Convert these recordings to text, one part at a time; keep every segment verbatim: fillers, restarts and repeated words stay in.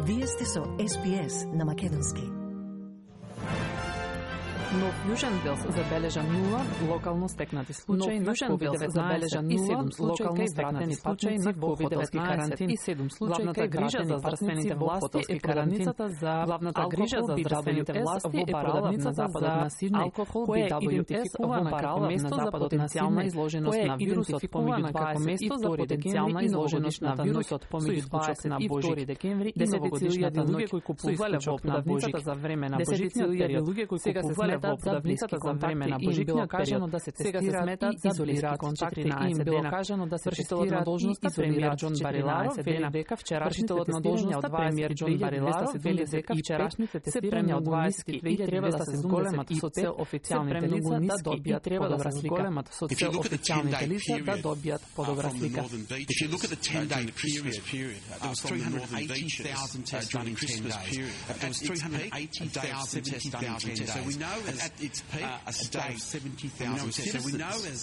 Вие сте со Ес Би Ес на македонски. Нов Јужен Велс забележа нула локално стекнати случаи на ковид деветнаесет и седум локално стекнати случаи на ковид деветнаесет и седум случаи кај грижа за здравствените власти е продавницата за главната грижа за здравствените власти е продавницата за Сиднеј, алкохол би дабл ю ес во како место за потенцијална изложеност на вирусот помеѓу како место за потенцијална изложеност на вирусот помеѓу дваесет и втори декември и новогодишната ноќ кои купувале во продавницата за време на божичниот период сега се смета во продавницата за време на божичниот период да се тестираат и изолираат контакти и им било кажано да се вршителот на должноста премиер Џон Бариларо вели дека вчерашните тестирања премиер Џон Бариларо вели дека вчерашните тестирања од дваесет и две треба да се зголемат со цел официјалните лица да добијат треба да се зголемат со цел официјалните лица да добијат подобра слика. If you look at the ten-day Christmas period, there was three hundred eighty thousand tests done in Christmas period. There was three hundred eighty thousand tests done in ten days. So we know at its peak, a day of seventy thousand tests. So we know as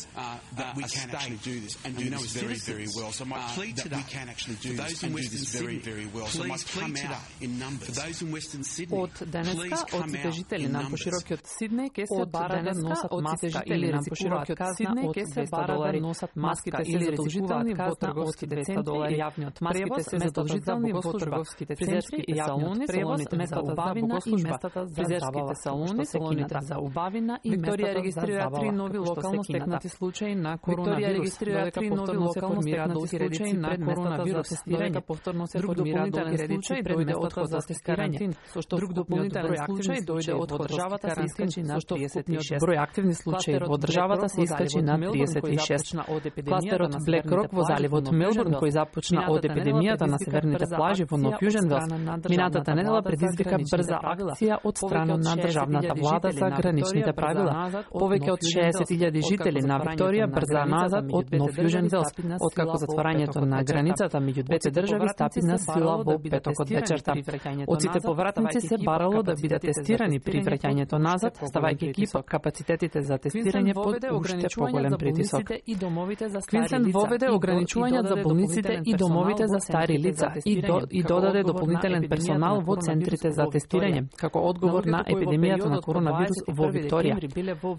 that we can actually do this and do this very, very well. So my plea today, we can actually do this and do this very, very well. So my plea today in numbers for those in Western Sydney, од денеска од сите жители на поширокиот Сиднеј ке се бара да носат маска или на поширокиот Сиднеј ке се бара да носат маска или задолжителни во трговските центри, јавниот маските се задолжителни во трговските центри и салони, салоните за убавина и местата за фризерските салони, салоните за убавина и Викторија регистрира три нови локално стекнати случаи на коронавирус. Викторија регистрира три нови локално стекнати случаи на коронавирус. Додека повторно се формира други случаи дојде одход за тестирање. Со што друг дополнителен случај дојде од државата се искачи на триесет и шест. Број активни случаи во државата се искачи на триесет и шест. Кластерот Блек Рок во заливот Мелбурн кој започна од епидемијата на северните плажи во Нов Јужен Велс, минатата недела предизвика брза акција од страна на државната влада за граничните правила. Повеќе од шеесет илјади жители на Викторија брза назад од Нов Јужен Велс, откако затворањето на границата меѓу двете држави стапи на сила во петокот вечерта. Од сите повратници се барало да бидат тестирани при враќањето назад, ставајќи ги капацитетите за тестирање под уште поголем притисок. Квинсленд воведе ограничувања за болниците и домовите за стари лица и, до, и додаде дополнителен персонал во центрите за тестирање, како одговор на епидемијата на коронавирус во Викторија.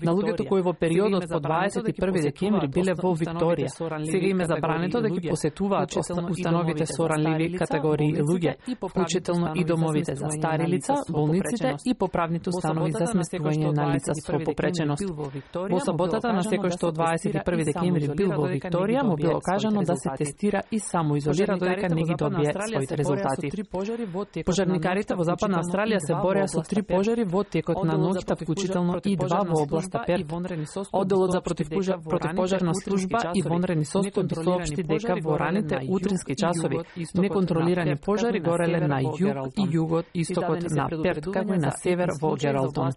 На луѓето кои во периодот по дваесет и први декември биле во Викторија, сега им е забрането да ги посетуваат установите со ранливи категории луѓе, вклучително и домовите за стари лица, болниците и поправните установи за сместување на лица со попреченост. Во саботата на секој што дваесет и први декември бил во Викторија, му било кажано да се тестира и самоизолира додека не ги добие своите резултати. Пожарникарите во Западна Австралија се бореа со три пожари во текот на ноќта, вклучително и два во областа Перт. Одделот за противпожарна служба и вонредни состојби соопшти дека во раните утрински часови неконтролирани пожари гореле на југ и југот истокот на Перт, како и на север во Гералтон.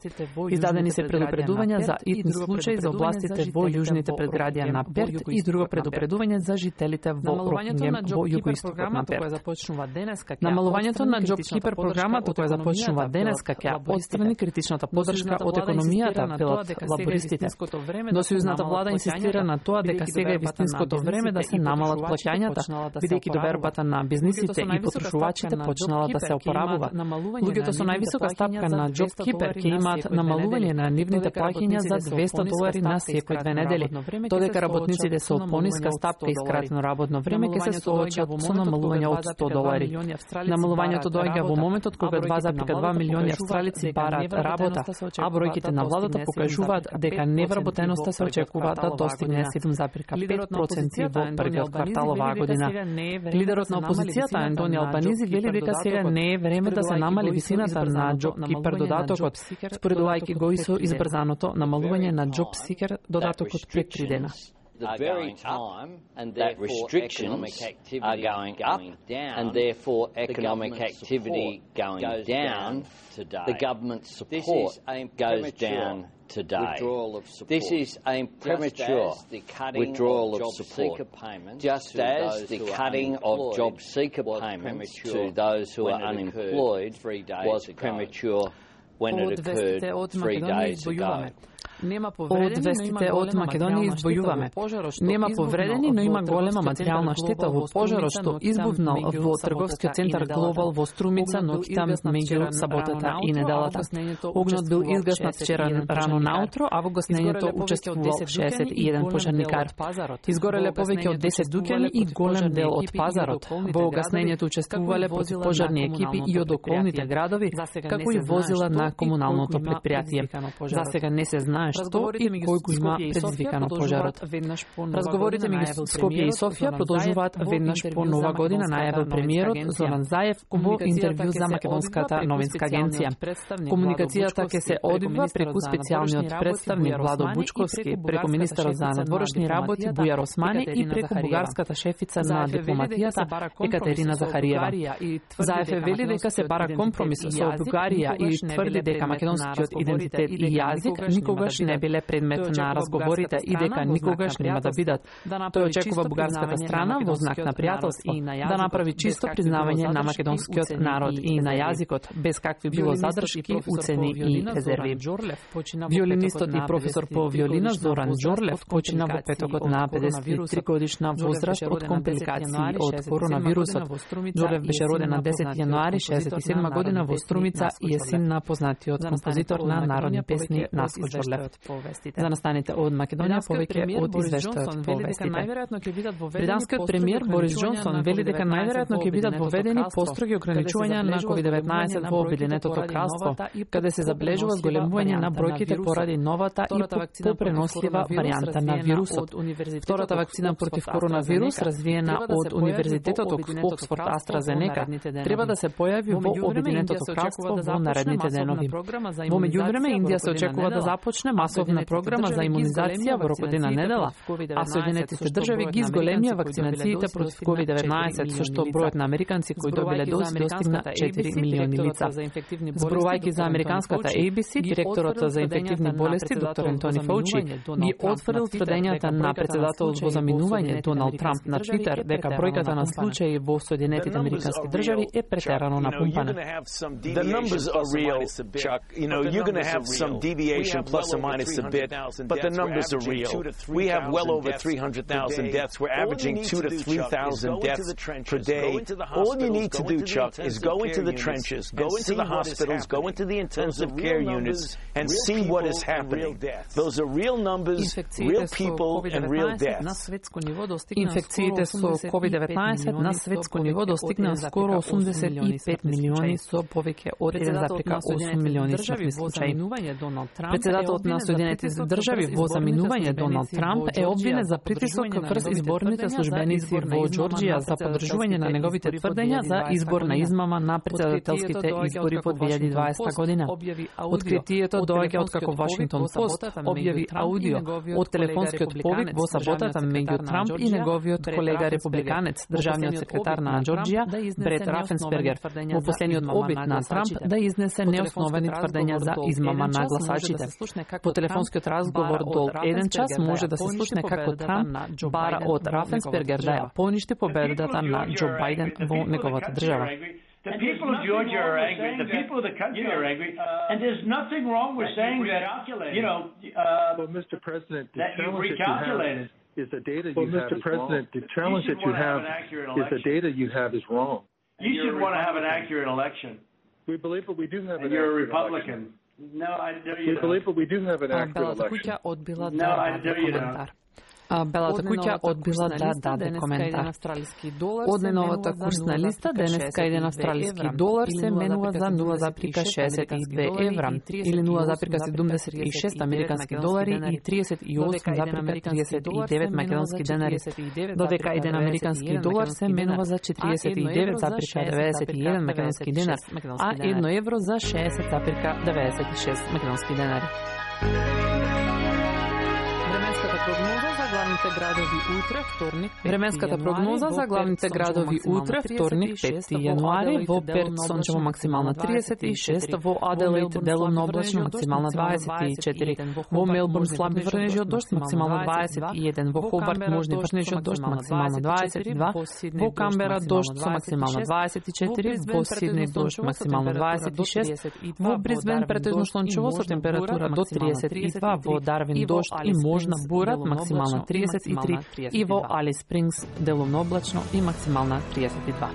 Издадени се предупредувања за итни случаи за областите во јужните предградија на Перт и друго предупредување за жителите во Рокингем во југоистокот на Перт. Намалувањето на JobKeeper програмата која започнува денеска ќе отстрани критичната поддршка од економијата, велат лабористите. Но сојузната влада инсистира на тоа дека сега е вистинското време да се намалат плаќањата, бидејќи довербата на бизнисите и потрошувачите почнала да се опоравува. Луѓето со највисока стапка на JobKeeper ќе имаат намалување на нивните плаќања за двеста долари на секој две недели, додека работниците со пониска стапка и скратено работно време ќе се соочат со намалување од сто долари. Намалувањето доаѓа во моментот кога два зарез два милиони австралици бараат работа, а бројките на владата покажуваат дека невработеноста се очекува да достигне седум зарез пет проценти во првиот квартал оваа година. Лидерот на опозицијата Антони Албанизи вели дека сега не е време да се намали висината на JobKeeper додатокот, споредувајќи го и со избрзаното намалување на JobSeeker додатокот пред три дена. The very time that restrictions are going up and therefore economic activity going down, the government support goes down today. This is a premature withdrawal of support, just as the cutting of job seeker payments to those who are unemployed was premature when it occurred three days ago. Од вестите од Македонија избојуваме. Нема повредени, но има голема материјална штета во пожарот што избувнал во трговскиот центар Глобал во Струмица ноќта меѓу саботата и неделата. Огнот бил изгаснат вчера рано наутро, а во гаснењето учествувал шеесет и еден пожарникар. Изгореле повеќе од десет дуќани и голем дел од пазарот. Во гаснењето учествувале противпожарни екипи и од околните градови, како и возила на комуналното предпријатие. За сега не се знае што и кој го има предизвикано пожарот. Разговорите меѓу Скопје и Софија продолжуваат веднаш по нова година, најавил премиерот Зоран Заев во интервју за Македонската новинска агенција. Комуникацијата ќе се одвива преку специјалниот представник Владо Бучковски, преку министерот за надворешни работи Бујар Османи и преку бугарската шефица на дипломатијата Екатерина Захариева. Заев е вели дека се бара компромис со Бугарија и тврди дека македонскиот идентитет и јазик никогаш не биле предмет на разговорите и дека никогаш нема да бидат. Тој очекува бугарската страна во знак на пријателство да направи чисто признавање на македонскиот народ и на јазикот, без какви било задршки, уцени и резерви. Виолинистот и професор по виолина Зоран Џорлев почина во петокот на педесет и три годишна возраст од компликации од коронавирусот. Џорлев беше роден на десети јануари шеесет и седма година во Струмица и е син на познатиот композитор на народни песни Наско Џорлев. За настаните од Македонија повеќе од извештајот по вестите. Британскиот премиер Борис Џонсон вели дека најверојатно ќе бидат воведени построги ограничувања на ковид деветнаесет во Обединетото кралство, каде се забележува зголемување на бројките поради новата и попренослива варијанта на вирусот. Втората вакцина против коронавирус, развиена од Универзитетот Оксфорд AstraZeneca, треба да се појави во Обединетото кралство во наредните денови. Во меѓувреме, Индија се очекува да започне масовна програма за имунизација во рок од една недела, а Соединетите држави ги зголемија вакцинациите против ковид деветнаесет, со што бројот на американци кои добиле дози достигна четири милиони лица. Зборувајќи за американската A B C, директорот за инфективни болести доктор Ентони Фаучи ги отфрли тврдењата на председателот во заминување Доналд Трамп на Твитер дека бројката на случаи во Соединетите американски држави е претерано напумпана. The numbers are real, Chuck. You know, you're going to have some deviation plus or minus a bit, but the numbers are real. We have well over three hundred thousand deaths. We're averaging two to three thousand deaths per day. All you need to do, Chuck, is go into the trenches, go into the hospitals, go into the intensive care units, and see what is happening. Those are real numbers, real people, and real deaths. Инфекциите со ковид деветнаесет на светско ниво достигнаа скоро осумдесет и пет милиони со повеќе од еден зарез осум милиони смртни случаи. Председателот на Соединетите држави во заминување Доналд Трамп е обвинет за притисок врз изборните службеници во Џорџија за поддржување на неговите тврдења за избор на измама на председателските избори во две илјади и дваесета година. Откритието доаѓа од како Вашингтон Пост објави аудио од телефонскиот повик во саботата меѓу Трамп и неговиот колега републиканец, државниот секретар на Џорџија Брет Рафенсбергер, во последниот обид на Трамп да изнесе неосновани тврдења за измама на гласачите. По телефонскиот разговор до еден час може да се слушне како Трамп бара од Рафенсбергер да ја поништи победата на Џо Бајден во неговата држава. The people of Georgia are angry. The people of the country are angry, and there's nothing wrong with saying that. You know, uh, well, Mister President, that you recalculated. Is the data you well, have Mister President, the challenge that you have is the data you have is wrong. You should want to have an accurate election. We believe that we do have an You're a accurate Republican. election. No, I do you We know. believe that we do have an accurate election. No, I do you know. Белата куќа одбила да даде коментар. Од најновата курсна листа, денеска еден австралиски долар се менува за нула зарез шеесет и две евра, или нула зарез седумдесет и шест американски долари и триесет и осум зарез триесет и девет македонски денари, додека еден американски долар се менува за четириесет и девет зарез деветдесет и еден македонски денар, а едно евро за шеесет зарез деветдесет и шест македонски денари. Временската прогноза за главните градови утре, вторник. Временската прогноза за главните градови утре, вторник, петти јануари, во Перт сончево максимална триесет и шест, во Аделаид делумно облачно максимална дваесет и четири, во Мелбурн слаби врнежи од дожд максимална дваесет и еден, во Хобарт можни врнежи од дожд максимална дваесет и два, во Камбера дожд со максимална дваесет и четири, во Сиднеј дожд максимална дваесет и шест, во Брисбен претежно сончево со температура до триесет и два, во Дарвин дожд и можна бура максимална триесет и три и во Алис Спрингс делумно облачно и максимална триесет и два.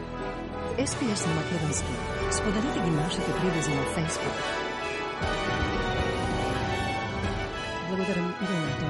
Ес Пи Ес на македонски. Споделите ги нашите прилези на Facebook. Благодарам и